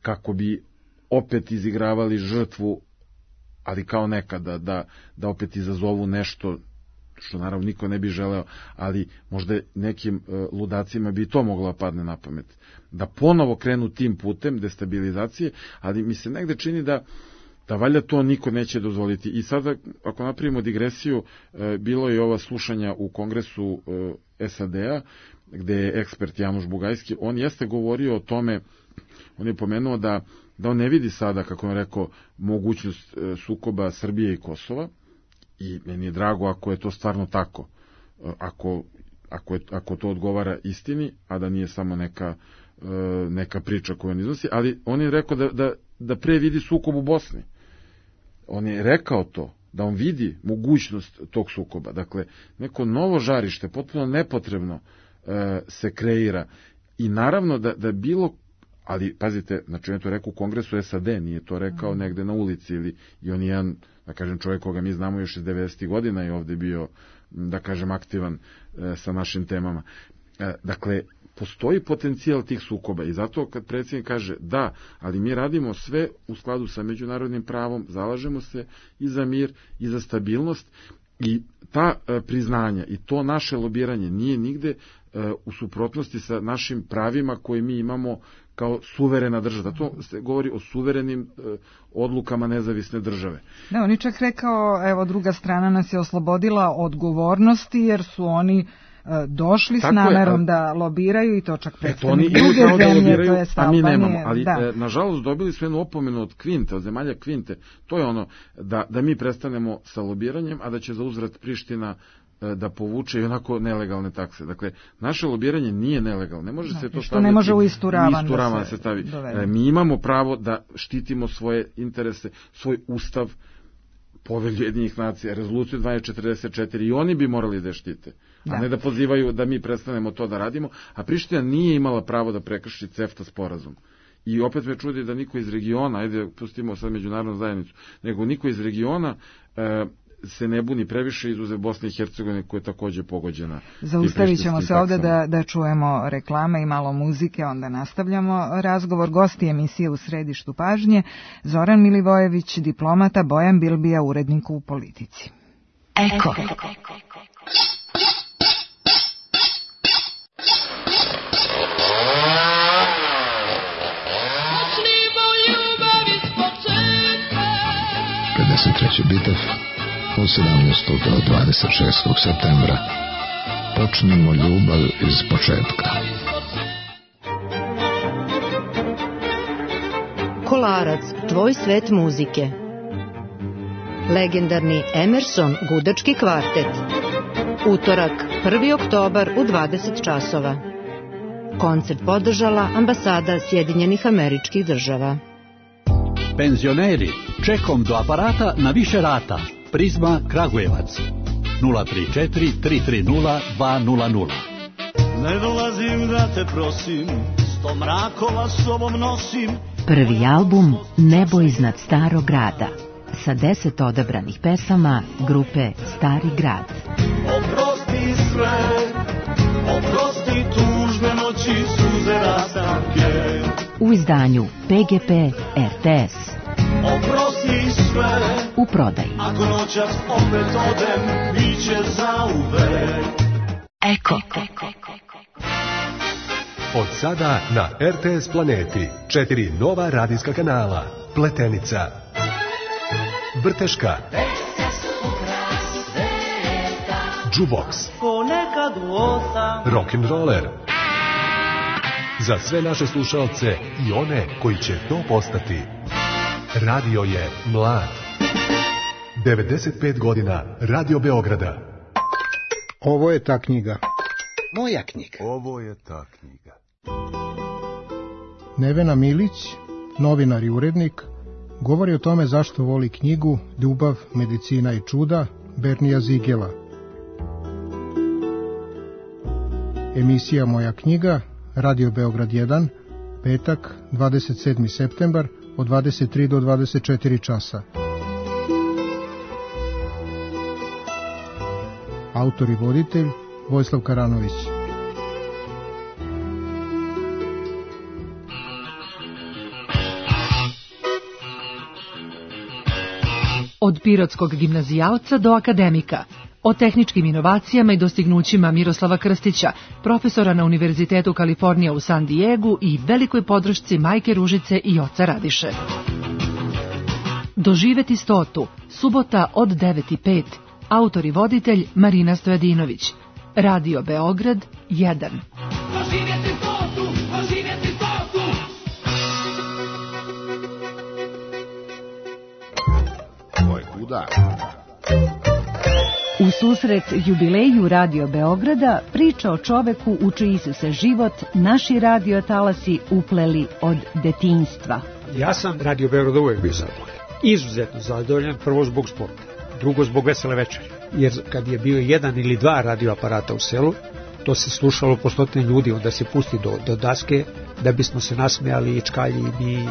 kako bi opet izigravali žrtvu, ali kao nekada, da, da opet izazovu nešto što naravno niko ne bi želeo, ali možda nekim e, ludacima bi to moglo padne na pamet. Da ponovo krenu tim putem destabilizacije, ali mi se negde čini da da valjda to niko neće dozvoliti. I sada, ako napravimo digresiju, e, bilo je ova slušanja u Kongresu e, S A D-a, gde je ekspert Januš Bugajski, on jeste govorio o tome, on je pomenuo da, da on ne vidi sada, kako je rekao, mogućnost e, sukoba Srbije i Kosova, i meni je drago ako je to stvarno tako, e, ako, ako, je, ako to odgovara istini, a da nije samo neka, e, neka priča koju on iznosi, ali on je rekao da, da, da pre vidi sukob u Bosni. On je rekao to, da on vidi mogućnost tog sukoba. Dakle, neko novo žarište, potpuno nepotrebno, e, se kreira. I naravno da, da bilo, ali pazite, znači on je to rekao u Kongresu S A D, nije to rekao negde na ulici, ili, i on je jedan, da kažem, čovjek koga mi znamo još iz devedesetih godina i ovde bio, da kažem, aktivan e, sa našim temama. E, dakle, postoji potencijal tih sukoba i zato kad predsjednik kaže da, ali mi radimo sve u skladu sa međunarodnim pravom, zalažemo se i za mir i za stabilnost, i ta e, priznanja i to naše lobiranje nije nigde e, u suprotnosti sa našim pravima koje mi imamo kao suverena država. Zato se govori o suverenim e, odlukama nezavisne države. Ne, on je čak rekao, evo, druga strana nas je oslobodila odgovornosti jer su oni došli s namerom je, da lobiraju i to čak predstavnik druge da zemlje, to je a mi nemamo, ali da. e, nažalost dobili su jednu opomenu od Kvinte, od zemalja Kvinte, to je ono da, da mi prestanemo sa lobiranjem, a da će za uzvrat Priština e, da povuče i onako nelegalne takse. Dakle, naše lobiranje nije nelegalno, ne može da, se to staviti, ne može u istu ravan da, da se stavi. E, mi imamo pravo da štitimo svoje interese, svoj ustav, Povelju Ujedinjenih nacija, rezoluciju dvanaest četrdeset četiri, i oni bi morali da štite, da. A ne da pozivaju da mi prestanemo to da radimo, a Priština nije imala pravo da prekrši CEFTA sporazum. I opet me čudi da niko iz regiona, ajde pustimo sad međunarodnu zajednicu, nego niko iz regiona e, se ne buni previše, izuzev Bosne i Hercegovine koja je takođe pogođena. Zaustavit ćemo se ovde da, da čujemo reklame i malo muzike, onda nastavljamo razgovor. Gosti emisije U središtu pažnje, Zoran Milivojević, diplomata, Bojan Bilbija, urednik u Politici. Eko. pedeset treći bitev od sedamnaestog do dvadeset šestog septembra. Počnimo ljubav iz početka. Kolarac, tvoj svet muzike. Legendarni Emerson gudački kvartet. Utorak, prvi oktobar u dvadeset časova. Koncert podržala Ambasada Sjedinjenih Američkih Država. Penzioneri, čekom do aparata na više rata. Prizma Kragujevac nula tri četiri tri tri nula dva nula nula. Ne dolazim da te prosim, sto mrakova sobom nosim. Prvi album Nebo iznad starog grada sa deset odabranih pesama grupe Stari grad. Oprosti sve, oprosti tužne noći, suze rastanke. U izdanju P G P R T S. Oprosti sve, u prodaji. Ako noćas opet odem, biće zauvek. Eko. Od sada na R T S Planeti četiri nova radijska kanala. Pletenica, Vrteška, Džuboks, Rock'n'Roller. Za sve naše slušalce i one koji će to postati. Radio je mlad. devedeset pet godina Radio Beograda. Ovo je ta knjiga. Moja knjiga. Ovo je ta knjiga. Nevena Milić, novinar i urednik, govori o tome zašto voli knjigu Ljubav, medicina i čuda Bernija Zigela. Emisija Moja knjiga, Radio Beograd jedan, petak, dvadeset sedmi septembar, od dvadeset tri do dvadeset četiri časa. Autor i voditelj Vojislav Karanović. Od pirotskog gimnazijalca do akademika, o tehničkim inovacijama i dostignućima Miroslava Krstića, profesora na Univerzitetu Kalifornija u San Diegu i velikoj podršci majke Ružice i oca Radiše. Doživeti stotu, subota od devet i pet, autor i voditelj Marina Stojadinović, Radio Beograd jedan. Doživjeti stotu, doživjeti stotu. Moj kuda. U susret jubileju Radio Beograda priča o čoveku u čiji su se život naši radiotalasi upleli od detinjstva. Ja sam Radio Beograda uvek bio zadovoljan. Izuzetno zadovoljan, prvo zbog sporta, drugo zbog vesele večeri. Jer kad je bio jedan ili dva radioaparata u selu, to se slušalo po stotine ljudi, onda se pusti do, do daske da bismo se nasmejali i čkalji i mi.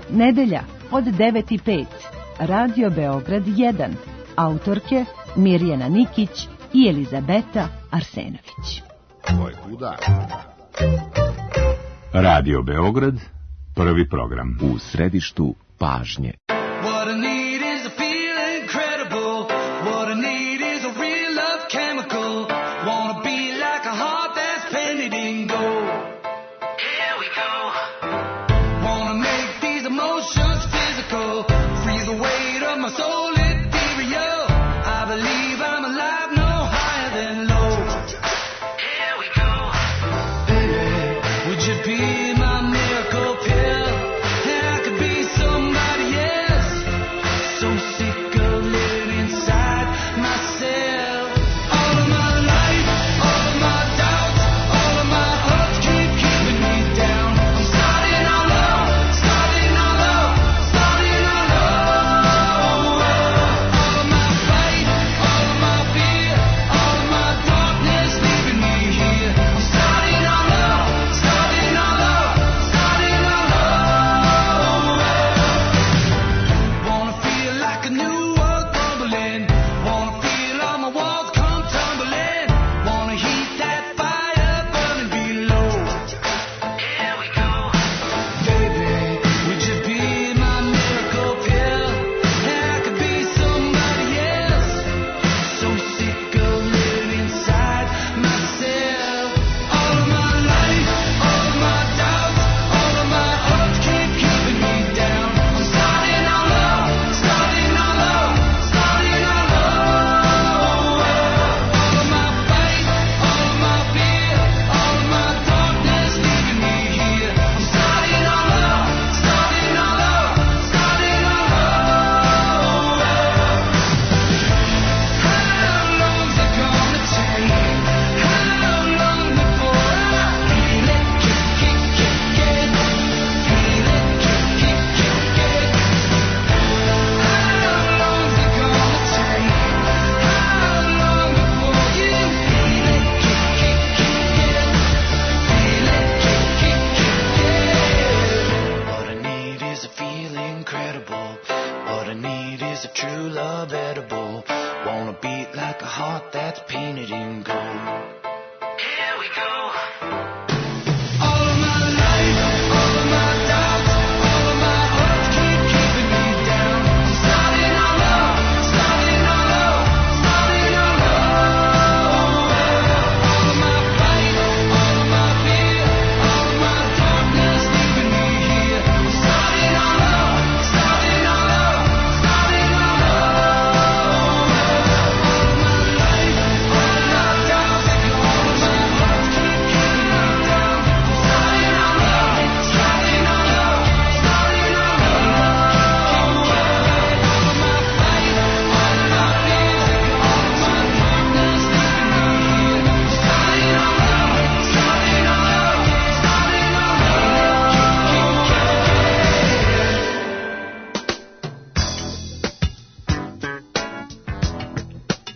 Nedelja od devet i pet, Radio Beograd jedan, autorke Mirjana Nikić i Elizabeta Arsenović. Moj kuda. Radio Beograd, prvi program. U središtu pažnje. What I need is a feel incredible. What I need is a real love chemical. Wanna be like a heart that's painted in gold. Here we go. Wanna make these emotions physical. Freeze the weight of my soul ethereal. I believe I'm alive, no higher than low. Here we go. Baby, would you be my miracle pill? And I could be somebody else. So sick of living inside myself. All of my life, all of my doubts, all of my hurts keep keeping me down. I'm starting all low, starting all low, starting all low. All of my fight, all of my fear, all of my darkness leaving me here. I'm starting all low, starting all low, starting all low. Wanna feel like a new world crumbling. Wanna feel all my walls come tumbling. Wanna heat that fire burning below. Here we go. Baby, would you be my miracle pill? And I could be somebody else. So sick of living inside myself. All of my life, all of my doubts, all of my hurts keep keeping me down. I'm starting all low, starting all low, starting all low. All of my fight, all of my fear, all of my darkness leaving me here. I'm starting all low, starting all low, starting all low. How long's it gonna take? How long before I feel it kick, kick, kick, kick? Feel it kick, kick, kick, kick. How long's it gonna take? How long before you feel it kick, kick, kick, kick? Feel it kick, kick, kick, kick. What I need is a feeling incredible. What I need is a true love edible. Wanna beat like a heart that's painted in gold. Here we go. All of my life, all of my doubts, all of my hurts keep keeping me down. I'm starting all low, starting all low, starting all low. All of my fight, all of my fear, all of my darkness leaving me here. I'm starting all low, starting all low, starting all low. All of my life, all of my doubts are gone.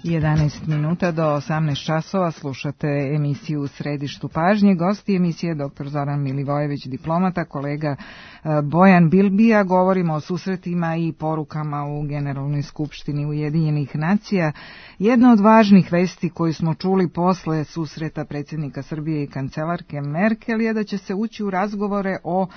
jedanaest minuta do osamnaest časova slušate emisiju U središtu pažnje. Gosti emisije dr. Zoran Milivojević, diplomata, kolega Bojan Bilbija. Govorimo o susretima i porukama u Generalnoj skupštini Ujedinjenih nacija. Jedna od važnih vesti koju smo čuli posle susreta predsjednika Srbije i kancelarke Merkel je da će se ući u razgovore o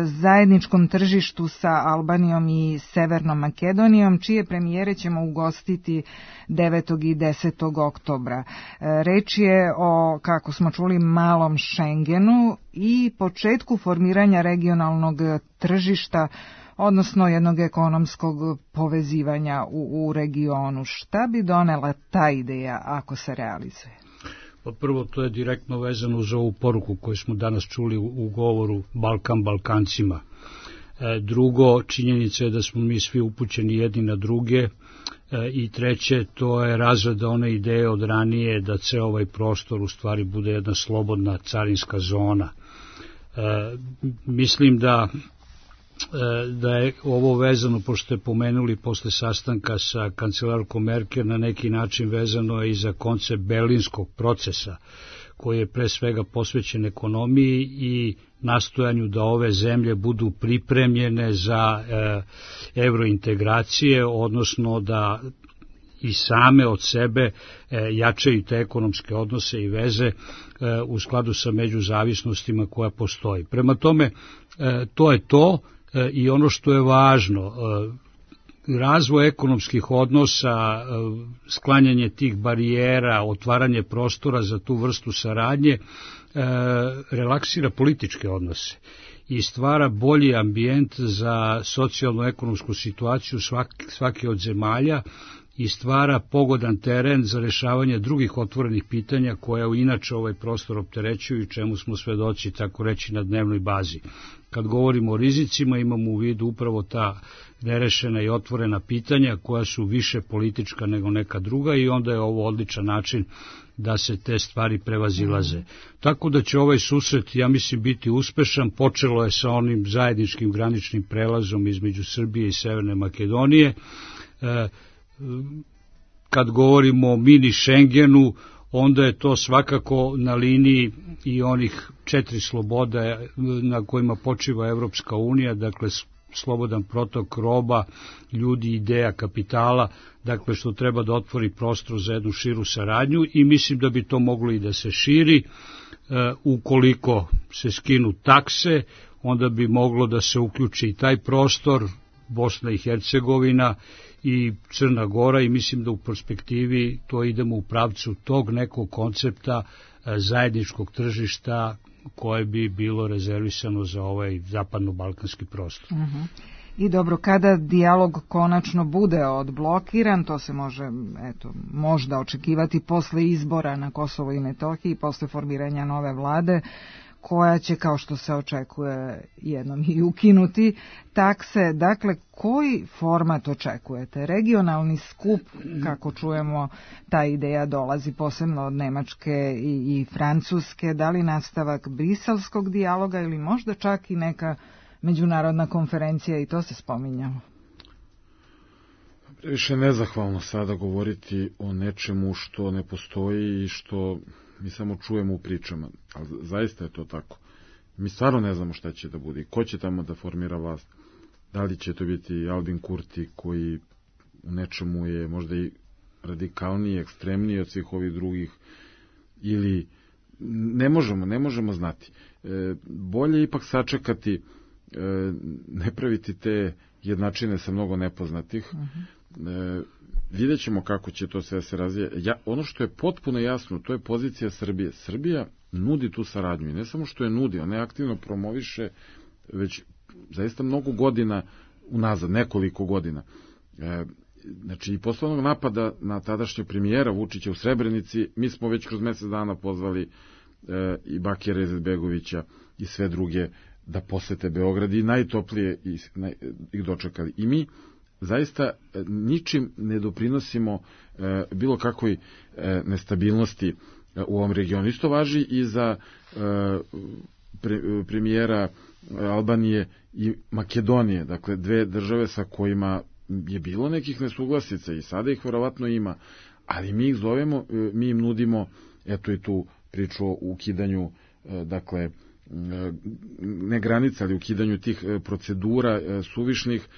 zajedničkom tržištu sa Albanijom i Severnom Makedonijom, čije premijere ćemo ugostiti devetog i desetog oktobra. Reč je o, kako smo čuli, malom Schengenu i početku formiranja regionalnog tržišta, odnosno jednog ekonomskog povezivanja u, u regionu. Šta bi donela ta ideja ako se realizuje? Pa prvo, to je direktno vezano uz ovu poruku koju smo danas čuli u, u govoru Balkan Balkancima. E, drugo, činjenica je da smo mi svi upućeni jedni na druge. E, I treće, to je razrada one ideje od ranije da ceo ovaj prostor u stvari bude jedna slobodna carinska zona. E, mislim da da je ovo vezano, pošto ste pomenuli posle sastanka sa kancelarkom Merkel, na neki način vezano i za koncept berlinskog procesa, koji je pre svega posvećen ekonomiji i nastojanju da ove zemlje budu pripremljene za e, evrointegracije, odnosno da i same od sebe e, jačaju te ekonomske odnose i veze e, u skladu sa međuzavisnostima koja postoji. Prema tome, e, to je to. I ono što je važno, razvoj ekonomskih odnosa, sklanjanje tih barijera, otvaranje prostora za tu vrstu saradnje, relaksira političke odnose i stvara bolji ambijent za socijalno-ekonomsku situaciju svaki, svake od zemalja i stvara pogodan teren za rešavanje drugih otvorenih pitanja koja inače ovaj prostor opterećuju i čemu smo svedoci, tako reći, na dnevnoj bazi. Kad govorimo o rizicima, imamo u vidu upravo ta nerešena i otvorena pitanja koja su više politička nego neka druga i onda je ovo odličan način da se te stvari prevazilaze. Tako da će ovaj susret, ja mislim, biti uspešan. Počelo je sa onim zajedničkim graničnim prelazom između Srbije i Severne Makedonije. E, kad govorimo o mini Schengenu, onda je to svakako na liniji i onih četiri sloboda na kojima počiva Evropska unija, dakle slobodan protok roba, ljudi, ideja, kapitala, dakle što treba da otvori prostor za jednu širu saradnju i mislim da bi to moglo i da se širi. E, ukoliko se skinu takse, onda bi moglo da se uključi i taj prostor, Bosna i Hercegovina i Crna Gora, i mislim da u perspektivi to idemo u pravcu tog nekog koncepta zajedničkog tržišta koje bi bilo rezervisano za ovaj zapadno-balkanski prostor. Uh-huh. I dobro, kada dijalog konačno bude odblokiran, to se može, eto, možda očekivati posle izbora na Kosovo i Metohiji, posle formiranja nove vlade, koja će, kao što se očekuje, jednom i ukinuti takse. Dakle, koji format očekujete? Regionalni skup, kako čujemo, ta ideja dolazi posebno od Nemačke i, i Francuske. Da li nastavak briselskog dijaloga ili možda čak i neka međunarodna konferencija, i to se spominjalo? Više nezahvalno sada govoriti o nečemu što ne postoji i što mi samo čujemo u pričama, ali zaista je to tako. Mi stvarno ne znamo šta će da bude i ko će tamo da formira vlast. Da li će to biti Albin Kurti, koji u nečemu je možda i radikalniji, ekstremniji od svih ovih drugih, ili ne možemo, ne možemo znati. E, bolje ipak sačekati, e, ne praviti te jednačine sa mnogo nepoznatih. Uh-huh. E, vidjet ćemo kako će to sve se razvija. Ja, ono što je potpuno jasno, to je pozicija Srbije. Srbija nudi tu saradnju i ne samo što je nudi, ona je aktivno promoviše već zaista mnogo godina unazad, nekoliko godina. E, znači, i posle onog napada na tadašnje premijera Vučića u Srebrenici, mi smo već kroz mesec dana pozvali e, i Bakira Izetbegovića i sve druge da posete Beograd i najtoplije ih, naj, ih dočekali. I mi zaista ničim ne doprinosimo e, bilo kakvoj e, nestabilnosti e, u ovom regionu. Isto važi i za e, pre, premijera Albanije i Makedonije, dakle dve države sa kojima je bilo nekih nesuglasica i sada ih verovatno ima, ali mi ih zovemo, mi im nudimo, eto i tu priču o ukidanju, dakle, ne granica, ali ukidanju tih procedura suvišnih,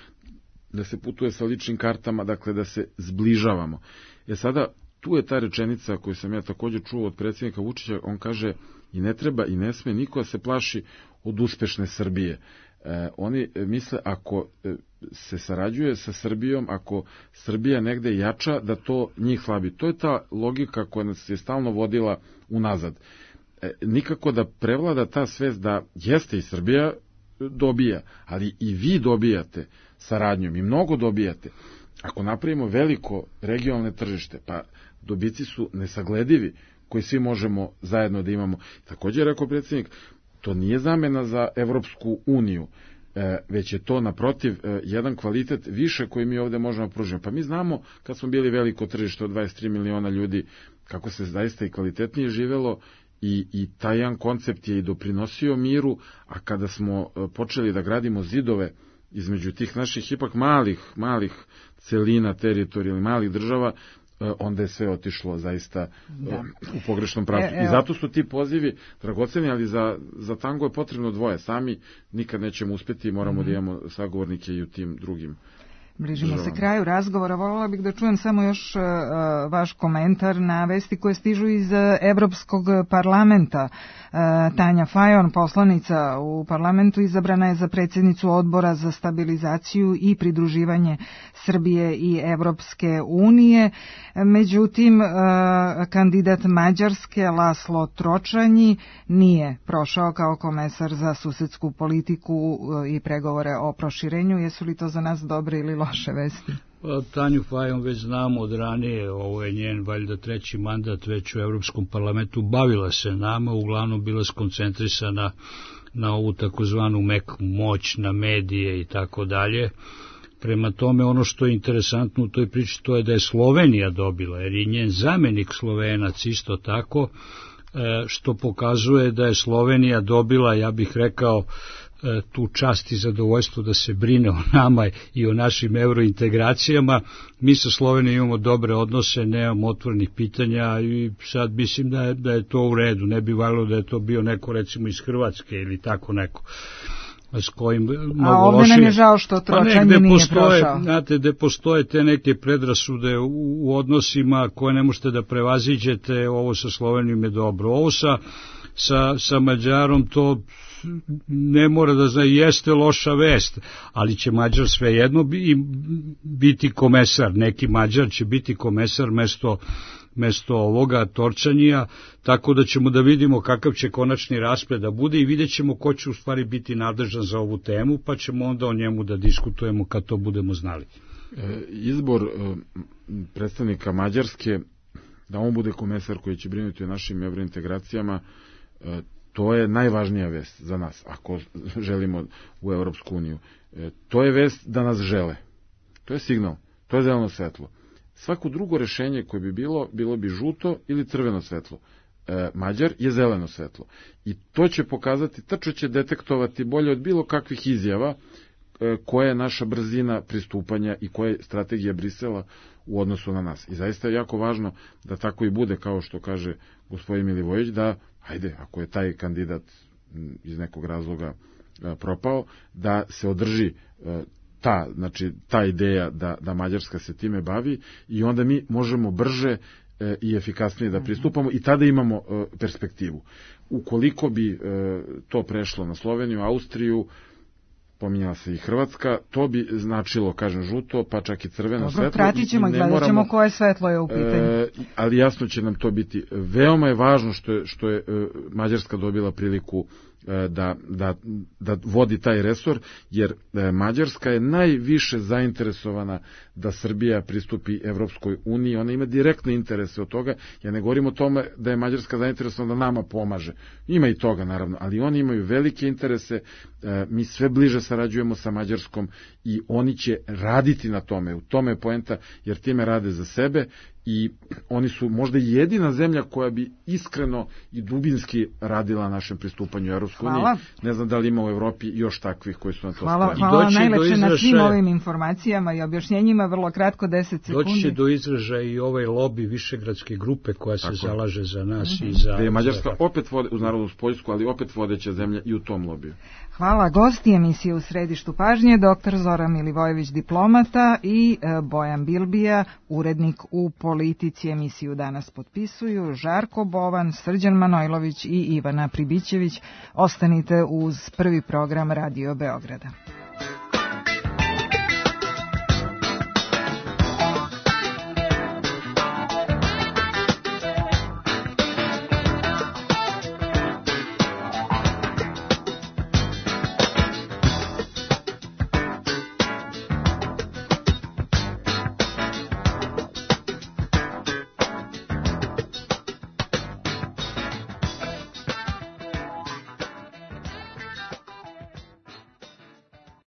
da se putuje sa ličnim kartama, dakle da se zbližavamo. E sada, tu je ta rečenica koju sam ja također čuo od predsjednika Vučića, on kaže i ne treba i ne sme niko da se plaši od uspešne Srbije. E, oni misle ako se sarađuje sa Srbijom, ako Srbija negde jača, da to njih slabi. To je ta logika koja nas je stalno vodila unazad. E, nikako da prevlada ta svest da jeste i Srbija dobija, ali i vi dobijate saradnjom i mnogo dobijate. Ako napravimo veliko regionalne tržište, pa dobici su nesagledivi koji svi možemo zajedno da imamo. Također je rekao predsjednik, to nije zamena za Evropsku uniju, e, već je to naprotiv e, jedan kvalitet više koji mi ovde možemo pružiti. Pa mi znamo kad smo bili veliko tržište od dvadeset tri miliona ljudi, kako se zaista i kvalitetnije živelo i, i taj jedan koncept je i doprinosio miru, a kada smo e, počeli da gradimo zidove između tih naših ipak malih, malih celina, teritorija ili malih država, onda je sve otišlo zaista da. u pogrešnom pravcu. E, I zato su ti pozivi dragoceni, ali za, za tango je potrebno dvoje. Sami nikad nećemo uspjeti i moramo mm-hmm. da imamo sagovornike i u tim drugim. Bližimo se kraju razgovora. Voljela bih da čujem samo još uh, vaš komentar na vesti koje stižu iz uh, Evropskog parlamenta. Uh, Tanja Fajon, poslanica u parlamentu, izabrana je za predsjednicu odbora za stabilizaciju i pridruživanje Srbije i Evropske unije. Međutim, uh, kandidat Mađarske Laslo Tročanji nije prošao kao komesar za susedsku politiku uh, i pregovore o proširenju. Jesu li to za nas dobre ili loše vesti? Pa, Tanju Fajon već znamo od ranije, ovo je njen valjda treći mandat već u Evropskom parlamentu, bavila se nama, uglavnom bila skoncentrisana na ovu takozvanu meku moć, na medije i tako dalje. Prema tome, ono što je interesantno u toj priči, to je da je Slovenija dobila, jer je njen zamenik Slovenac isto tako, što pokazuje da je Slovenija dobila, ja bih rekao, tu čast i zadovoljstvo da se brine o nama i o našim eurointegracijama. Mi sa Slovenijom imamo dobre odnose, nemamo otvorenih pitanja i sad mislim da je, da je to u redu. Ne bi valjalo da je to bio neko recimo iz Hrvatske ili tako neko. S kojim A ovdje lošije. Nam je žao što Tročanji pa nije postoje, prošao. Znate, gde postoje te neke predrasude u, u odnosima koje ne možete da prevaziđete, ovo sa Slovenijom je dobro. Ovo sa, sa, sa Mađarom to ne mora da zna, jeste loša vest, ali će Mađar svejedno biti komesar, neki Mađar će biti komesar mesto, mesto ovoga Torčanija, tako da ćemo da vidimo kakav će konačni rasplet da bude i vidjet ćemo ko će u stvari biti nadležan za ovu temu, pa ćemo onda o njemu da diskutujemo kad to budemo znali. E, izbor e, predstavnika Mađarske, da on bude komesar koji će brinuti o našim evrointegracijama, e, to je najvažnija vest za nas, ako želimo u Evropsku uniju. E, to je vest da nas žele. To je signal, to je zeleno svetlo. Svako drugo rešenje koje bi bilo, bilo bi žuto ili crveno svetlo. E, Mađar je zeleno svetlo. I to će pokazati, tačno će detektovati bolje od bilo kakvih izjava e, koja je naša brzina pristupanja i koja je strategija Brisela u odnosu na nas. I zaista je jako važno da tako i bude, kao što kaže gospodin Milivojević, da ajde, ako je taj kandidat iz nekog razloga propao, da se održi ta, znači, ta ideja da, da Mađarska se time bavi i onda mi možemo brže i efikasnije da pristupamo i tada imamo perspektivu. Ukoliko bi to prešlo na Sloveniju, Austriju, pominjala se i Hrvatska, to bi značilo, kažem, žuto, pa čak i crveno Dobro, svetlo. Pratit ćemo i gledat ćemo koje svetlo je u pitanju. E, ali jasno će nam to biti. Veoma je važno što je, što je e, Mađarska dobila priliku e, da, da, da vodi taj resor, jer e, Mađarska je najviše zainteresovana da Srbija pristupi Evropskoj uniji, ona ima direktne interese od toga. Ja ne govorim o tome da je Mađarska zainteresovana da nama pomaže. Ima i toga, naravno, ali oni imaju velike interese, mi sve bliže sarađujemo sa Mađarskom i oni će raditi na tome. U tome je poenta, jer time rade za sebe i oni su možda jedina zemlja koja bi iskreno i dubinski radila na našem pristupanju u Evropsku uniju. Ne znam da li ima u Evropi još takvih koji su na to hvala, spremni. Hvala najlepše na svim ovim informacijama i objašnjenjima, vrlo kratko, deset sekundi. Doći će do izražaja i ovaj lobi Višegradske grupe koja se Tako. zalaže za nas mm-hmm. i za... Da je Mađarska opet vode, uz narodnu Poljsku, ali opet vodeća zemlja i u tom lobiju. Hvala. Gosti emisije U središtu pažnje, doktor Zoran Milivojević, diplomata, i Bojan Bilbija, urednik u Politici. Emisiju danas potpisuju Žarko Bovan, Srđan Manojlović i Ivana Pribićević. Ostanite uz prvi program Radio Beograda.